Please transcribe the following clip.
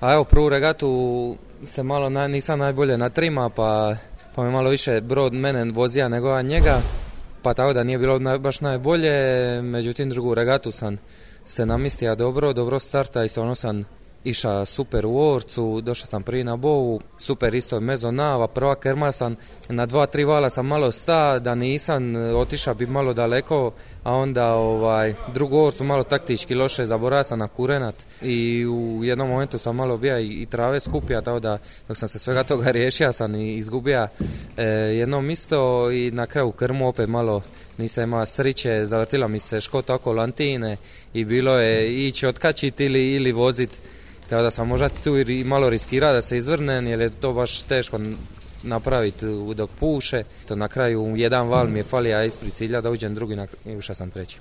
A evo, prvu regatu se malo nisam najbolje natrima, pa me malo više brod mene vozija nego njega, pa tako da nije bilo baš najbolje. Međutim, drugu regatu sam se namistio dobro starta i stvarno sam iša super u orcu, došao sam prvi na bovu, super isto mezo nava, prva kerma sam na 2-3 vala sam malo sta, da nisam otišao bi malo daleko, a onda drugu orcu malo taktički loše, zaboravio sam na kurenat i u jednom momentu sam malo bija i trave skupija, tako da dok sam se svega toga riješio sam i izgubio jedno misto i na kraju krmu opet malo nisam imao sriće, zavrtila mi se škota oko lantine i bilo je ići otkačiti ili voziti. Tako da sam možda tu i malo riskirao da se izvrnem, jer je to baš teško napraviti dok puše. To na kraju jedan val mi je falio ispred cilja da uđem drugi i ušao sam treći.